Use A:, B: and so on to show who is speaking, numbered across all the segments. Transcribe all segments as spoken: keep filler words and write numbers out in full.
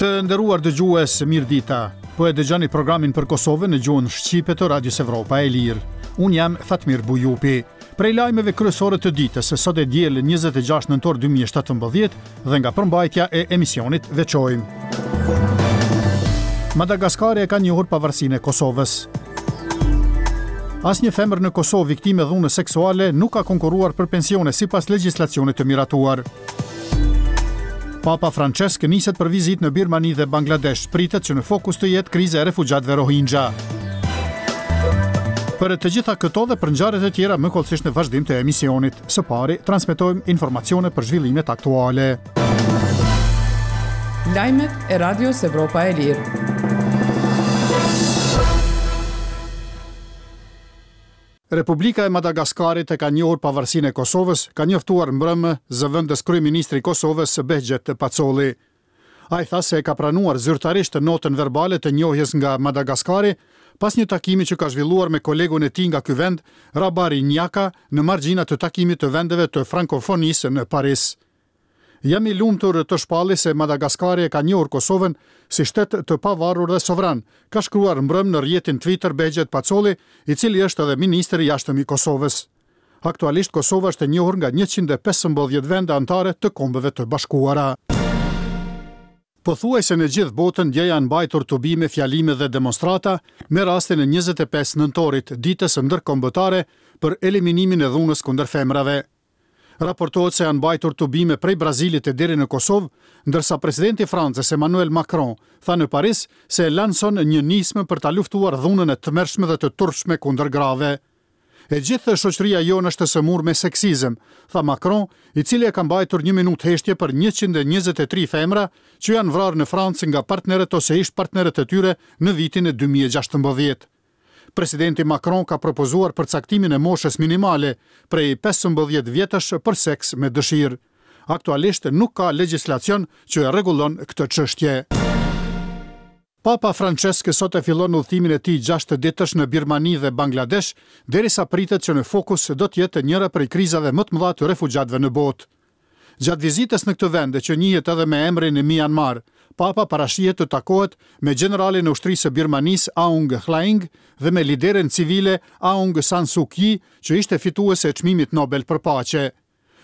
A: Të nderuar dëgjues, mirëdita. Po e dëgjoni programin për Kosovën në gjuhën shqipe të Radios Evropa e Lirë. Unë jam Fatmir Bujupi. Prej lajmeve kryesore të ditës, sot e diel njëzet e gjashtë nëntor dy mijë e shtatëmbëdhjetë, dhe nga përmbajtja e emisionit veçojmë: Madagaskari e ka njohur pavarësinë e Kosovës. Asnjë femër në Kosovë viktime dhunës seksuale nuk ka konkurruar për pensione sipas legjislacionit të miratuar. Papa Francesc niset për vizitë në Birmani dhe Bangladesh, pritet që në fokus të jetë kriza e refugjatëve Rohingya. Për të gjitha këto dhe për ngjarjet e tjera më hollësisht në vazhdim të emisionit. Së pari, transmetojmë informacione për zhvillimet aktuale.
B: Lajmet e Radios Evropa e Lirë.
A: Republika e Madagaskarit e ka njohur pavarësinë e Kosovës, ka njoftuar mbrëmë zëvendës kryeministri i Kosovës, Behgjet Pacolli. Ai tha se e ka pranuar zyrtarisht notën verbale të njohjes nga Madagaskari pas një takimi që ka zhvilluar me kolegun e tij nga ky vend, Rabary Njaka, në margjina të takimit të vendeve të frankofonisë në Paris. "Jam i lumtur të shpalli se Madagaskari e ka njohur Kosovën si shtet të pavarur dhe sovran", ka shkruar mbrëm në rrjetin Twitter Behgjet Pacolli, i cili është edhe ministri i jashtëm i Kosovës. Aktualisht Kosova është e njohur nga njëqind e pesëmbëdhjetë vende anëtare të Kombeve të Bashkuara. Pothuajse në gjithë botën dje janë mbajtur tubime, fjalime dhe demonstrata me rastin e njëzet e pesë nëntorit, ditës ndërkombëtare për eliminimin e dhunës kundër femrave. Raportohet se janë mbajtur tubime prej Brazilit e deri në Kosovë, ndërsa presidenti francez Emmanuel Macron tha në Paris se lanson një nismë për ta luftuar dhunën e tmerrshme dhe të turpshme kundër grave. "E gjithë shoqëria jonë është e sëmurë me seksizëm", tha Macron, i cili e ka mbajtur një minutë heshtje për njëqind e njëzet e tri femra që janë vrarë në Francë nga partnerët ose ish partnerët e tyre në vitin e dy mijë e gjashtëmbëdhjetë. Presidenti Macron ka propozuar përcaktimin e moshës minimale prej pesëmbëdhjetë vjetësh për seks me dëshirë. Aktualisht nuk ka legjislacion që e rregullon këtë çështje. Papa Francesc sot e fillon udhëtimin e tij gjashtë ditësh në Birmani dhe Bangladesh, derisa pritet që në fokus do të jetë njëra prej krizave më të mëdha të refugjatëve në botë. Gjatë vizitës në këtë vend, që njihet edhe me emrin e Myanmar, Papa parashihet të takohet me gjeneralin e ushtrisë së Birmanisë, Aung Hlaing, dhe me lideren civile Aung San Suu Kyi, që ishte fituese e çmimit Nobel për paqe.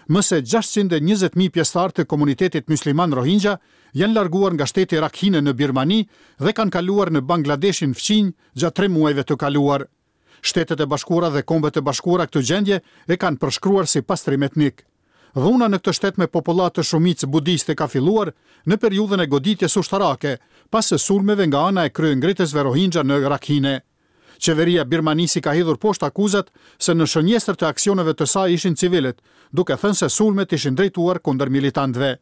A: Më se gjashtëqind e njëzet mijë pjesëtarë të komunitetit musliman Rohingya janë larguar nga shteti Rakhine në Birmani dhe kanë kaluar në Bangladeshin fqinj gjatë tre muajve të kaluar. Shtetet e Bashkuara dhe Kombet e Bashkuara këtë gjendje e kanë përshkruar si pastrim etnik. Dhuna në këtë shtet me popullatë shumicë budiste ka filluar në periudhën e goditjes ushtarake, pas sulmeve nga ana e kryengritësve Rohingya në Rakhine. Qeveria Birmanisë ka hedhur poshtë akuzat se në shënjestër të aksioneve të saj ishin civilët, duke thënë se sulmet ishin drejtuar kundër militantëve.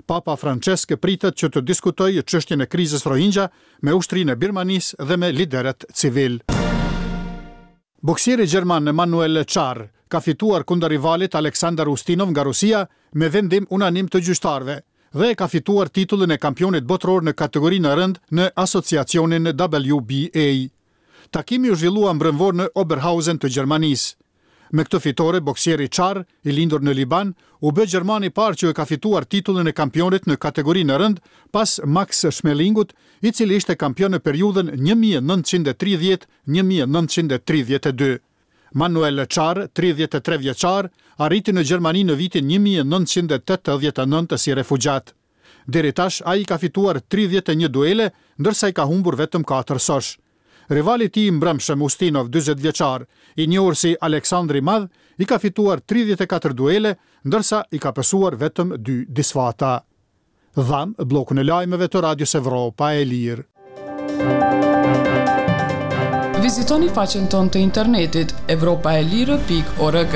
A: Papa Francesc pritet që të diskutojë çështjen e krizës Rohingya me ushtrinë e Birmanisë dhe me liderët civil. Boksieri gjerman Manuel Charr ka fituar kundër rivalit Aleksandar Ustinov nga Rusia me vendim unanim të gjyqtarëve dhe e ka fituar titullin e kampionit botëror në kategorinë e rëndë në asociacionin W B A. Takimi u zhvillua mbrëmvor në Oberhausen të Gjermanisë. Me këtë fitore, boksieri Charr, i lindur në Liban, u bë gjermani i parë që e ka fituar titullin e kampionit në kategorinë e rëndë pas Max Schmelingut, i cili ishte kampion në periudhën një mijë e nëntëqind e tridhjetë-një mijë e nëntëqind e tridhjetë e dy. Manuel Charr, tridhjetë e tre vjeçar, arriti në Gjermani në vitin një mijë e nëntëqind e tetëdhjetë e nëntë si refugjat. Deri tash ai ka fituar tridhjetë e një duele, ndërsa i ka humbur vetëm katër sosh. Rivali i tij i mbrëmshëm, Ustinov, dyzet vjeçar, i njohur si Aleksandri i Madh, i ka fituar tridhjetë e katër duele, ndërsa i ka pësuar vetëm dy disfata. Dham bllokun e lajmeve të Radios Evropa e Lirë.
B: Vizitoni faqen tonë të internetit evropaelire pikë org.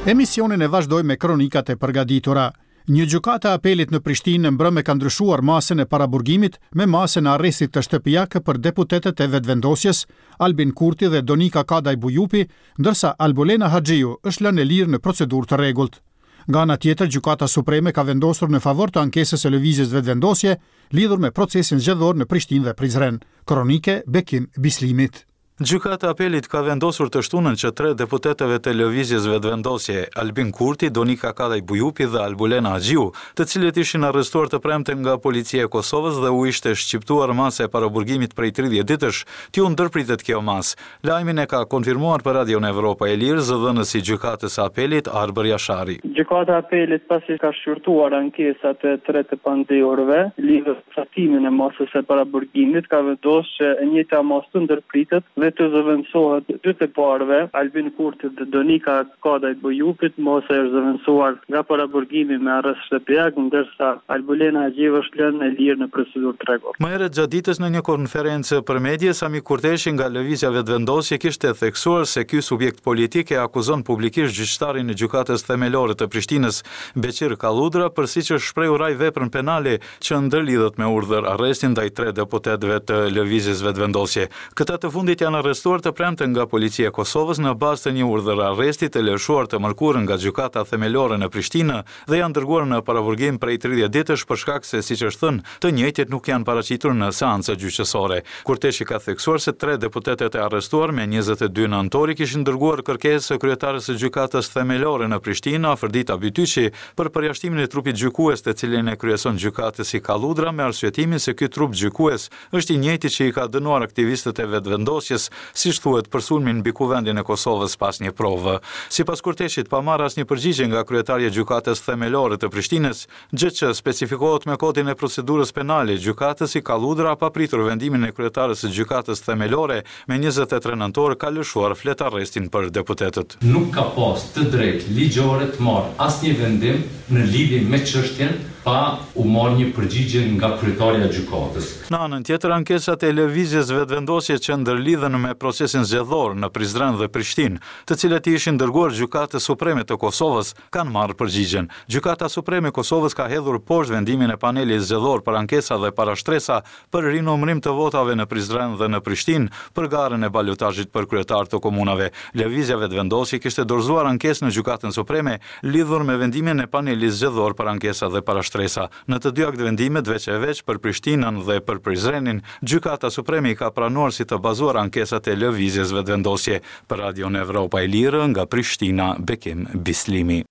A: Emisionin e vazhdoj me kronikat e përgatitura. Një gjykatë e apelit në Prishtinë mbrëmë ka ndryshuar masën e paraburgimit me masën e arrestit të shtëpiak për deputetët e Vetëvendosjes, Albin Kurti dhe Donika Kadaj Bujupi, ndërsa Albulena Haxhiu është lënë e lirë në procedurë të rregullt. Nga ana tjetër, Gjykata Supreme ka vendosur në favor të ankesës së Lëvizjes Vetëvendosje lidhur me procesin zgjedhor në Prishtinë dhe Prizren. Kronike Bekim Bislimit.
C: Gjykata e Apelit ka vendosur të shtunën që tre deputetëve të Lëvizjes Vetëvendosje, Albin Kurti, Donika Kadaj Bujupi dhe Albulena Haxhiu, të cilët ishin arrestuar të premten nga Policia e Kosovës dhe u ishte shqiptuar masa e paraburgimit prej tridhjetë ditësh, t'iu ndërpritet kjo masë. Lajmin e ka konfirmuar për Radion Evropa e Lirë zëdhënësi i Gjykatës së Apelit, Arbër Jashari.
D: Gjykata e Apelit pasi ka shqyrtuar ankesat e tre të pandehurve lidhur me caktimin e masës së paraburgimit, ka vendosur që e njëjta masë të ndërpritet dhe të zëvendësohet dy të parëve, Albin Kurtit dhe Donika Kadaj Bujupit, masa është zëvendësuar nga paraburgimi me arrest shtëpiak, ndërsa Albulena Haxhiu është lënë e lirë në procedurë të rregullt.
C: Më herët gjatë ditës në një konferencë për medie, Sami Kurteshi nga Lëvizja Vetëvendosje kishte theksuar se ky subjekt politik e akuzon publikisht gjyqtarin e Gjykatës Themelore të Prishtinës, Beqir Kalludra, për siç është shprehur ai veprën penale që ndërlidhet me urdhër arrestin ndaj tre deputetëve të Lëvizjes Vetëvendosje. Këta të fundit janë arrestuar të premten nga Policia e Kosovës në bazë të një urdhër arresti të lëshuar të mërkurën nga Gjykata Themelore në Prishtinë dhe janë dërguar në paraburgim prej tridhjetë ditësh për shkak se, siç është thënë, të njëjtit nuk janë paraqitur në seancë gjyqësore. Kurteshi ka theksuar se tre deputetët e arrestuar me njëzet e dy nëntori kishin dërguar kërkesë kryetares së Gjykatës Themelore në Prishtinë, Afërdita Bytyqi, për përjashtimin e trupit gjykues të cilin e kryeson gjykatësi Kalludra me arsyetimin se ky trup gjykues është i njëjti që i ka dënuar aktivistët e Vetëvendosjes, siç thuhet për sulmin mbi Kuvendin e Kosovës pas një provë. Sipas Kurteshit, pa marrë asnjë përgjigje nga kryetarja e Gjykatës Themelore të Prishtinës, gjë që specifikohet me kodin e procedurës penale, gjykatësi Kalludra pa pritur vendimin e kryetares së Gjykatës Themelore me njëzet e tre nëntor ka lëshuar fletarrestin për deputetët.
E: Nuk ka pas të drejtë ligjore të marrë asnjë vendim në lidhje me çështjen pa u marrë një përgjigje nga kryetarja e gjykatës.
C: Në anën tjetër, ankesat e Lëvizjes Vetëvendosje që ndërlidhen me procesin zgjedhor në Prizren dhe Prishtinë, të cilët i ishin dërguar Gjykatës Supreme të Kosovës, kanë marrë përgjigjen. Gjykata Supreme e Kosovës ka hedhur poshtë vendimin e panelit zgjedhor për ankesa dhe parashtresa për rinumërim të votave në Prizren dhe në Prishtinë për garën e balotazhit për kryetar të komunave. Lëvizja Vetëvendosje kishte dorëzuar ankesë në Gjykatën Supreme lidhur me vendimin e panelit zgjedhor për ankesa dhe parashtresa. Në të dy aktvendimet veç e veç për Prishtinën dhe për Prizrenin, Gjykata Supreme i ka pranuar si të bazuar ankesat e Lëvizjes Vetëvendosje. Për Radion Evropa e Lirë nga Prishtina, Bekim Bislimi.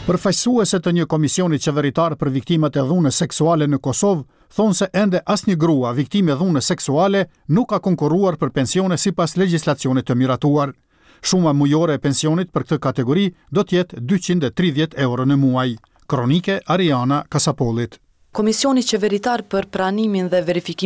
A: Përfaqësuese të një komisioni qeveritar për viktimat e dhunës seksuale në Kosovë thonë se ende asnjë grua viktimë e dhunës seksuale nuk ka konkurruar për pensione sipas legjislacionit të miratuar. Shuma mujore e pensionit për këtë kategori do të jetë dyqind e tridhjetë euro në muaj. Kronike Ariana Kasapolit.
B: Komisioni qeveritar për pranimin dhe verifikimin